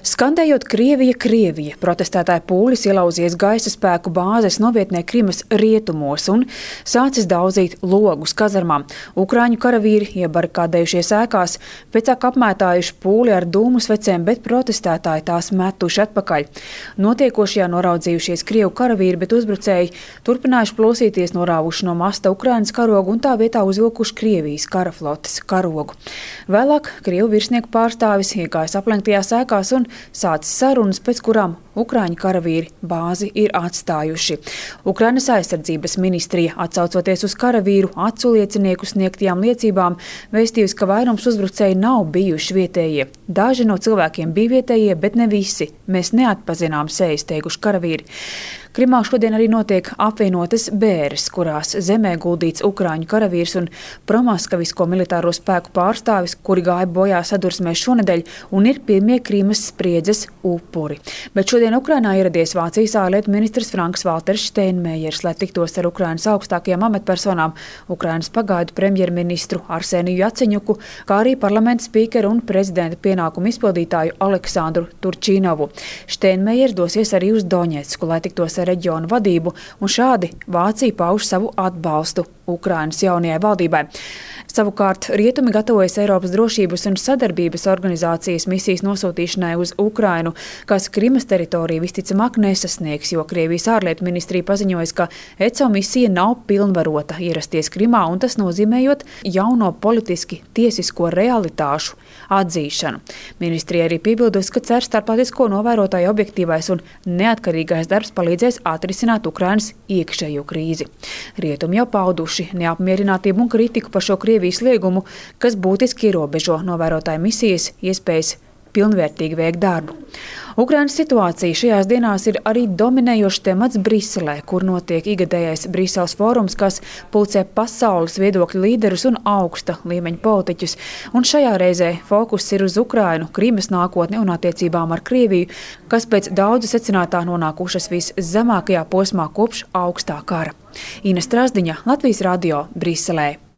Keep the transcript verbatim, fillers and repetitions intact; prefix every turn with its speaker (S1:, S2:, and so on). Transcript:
S1: Skandējot Krievija, Krievija, protestētāji pūlis ielauzies gaisa spēku bāzes novietnē Krimas rietumos un sācis daudzīt logus kazarmām. Ukraiņu karavīri iebarikādējušies ēkās, pēcāk apmētājuši pūli ar dūmusvecēm, bet protestētāji tās metuši atpakaļ. Notiekošajā noraudzījušies Krievu karavīri, bet uzbrucēji turpinājuši plosīties, norāvuši no masta Ukrainas karogu un tā vietā uzvilkuši Krievijas karaflotes karogu. Vēlāk Krievu virsnieku pārstāvis iegājis aplenktajās ēkās un sācis sarunas, pēc kurām Ukraiņu karavīri bāzi ir atstājuši. Ukrainas aizsardzības ministrija, atsaucoties uz karavīru acu liecinieku sniegtajām liecībām, vēstījusi, ka vairums uzbrucēji nav bijuši vietējie. Daži no cilvēkiem bija vietējie, bet ne visi. Mēs neatpazinām sejas, teikuši karavīri. Krimā šodien arī notiek apvienotas bēres, kurās zemē guldīts Ukraiņu karavīrs un promaskavisko militāro spēku pārstāvis, kuri gāja bojā sadursmē šonedēļ un ir pirmie Krimas spriedzes upuri. Bet šodien Ukrainā ieradies Vācijas ārlietu ministrs Franks-Valters Steinmeiers, lai tiktos ar Ukrainas augstākajām amatpersonām, Ukrainas pagaidu premjerministru Arseniju Jaceņuku, kā arī parlamenta spīkeru un prezidenta pienākumu izpildītāju Aleksandru Turčinovu. Steinmeiers dosies arī uz Doņetsku, lai tiktos ar reģionu vadību, un šādi Vācija pauž savu atbalstu Ukrainas jaunajai valdībai. Savukārt rietumi gatavojas Eiropas drošības un sadarbības organizācijas misijas nosūtīšanai uz Ukrainu, kas Krimas teritoriju visticamāk nesasniegs, jo Krievijas ārlietu ministrija paziņojas, ka E C O misija nav pilnvarota ierasties Krimā, un tas nozīmējot jauno politiski tiesisko realitāšu atzīšanu. Ministrija arī piebildusi, ka cer starptautisko novērotāju objektīvais un neatkarīgais darbs palīdzēs atrisināt Ukrainas iekšējo krīzi. Rietumi jau pauduši neapmierinātību un kritiku par šo Krievijas liegumu, kas būtiski ierobežo novērotāju misijas iespējas pilnvērtīgi veikt darbu. Ukrainas situācija šajās dienās ir arī dominējošs temats Briselē, kur notiek igadējais Briseles fórums, kas pulcē pasaules viedokļu līderus un augsta līmeņa politiķus. Un šajā reizē fokus ir uz Ukrainu, Krimas nākotni un attiecībām ar Krieviju, kas pēc daudzu secinātā nonākušas viszemākajā posmā kopš augstā kara. Ina Strazdiņa, Latvijas radio, Briselē.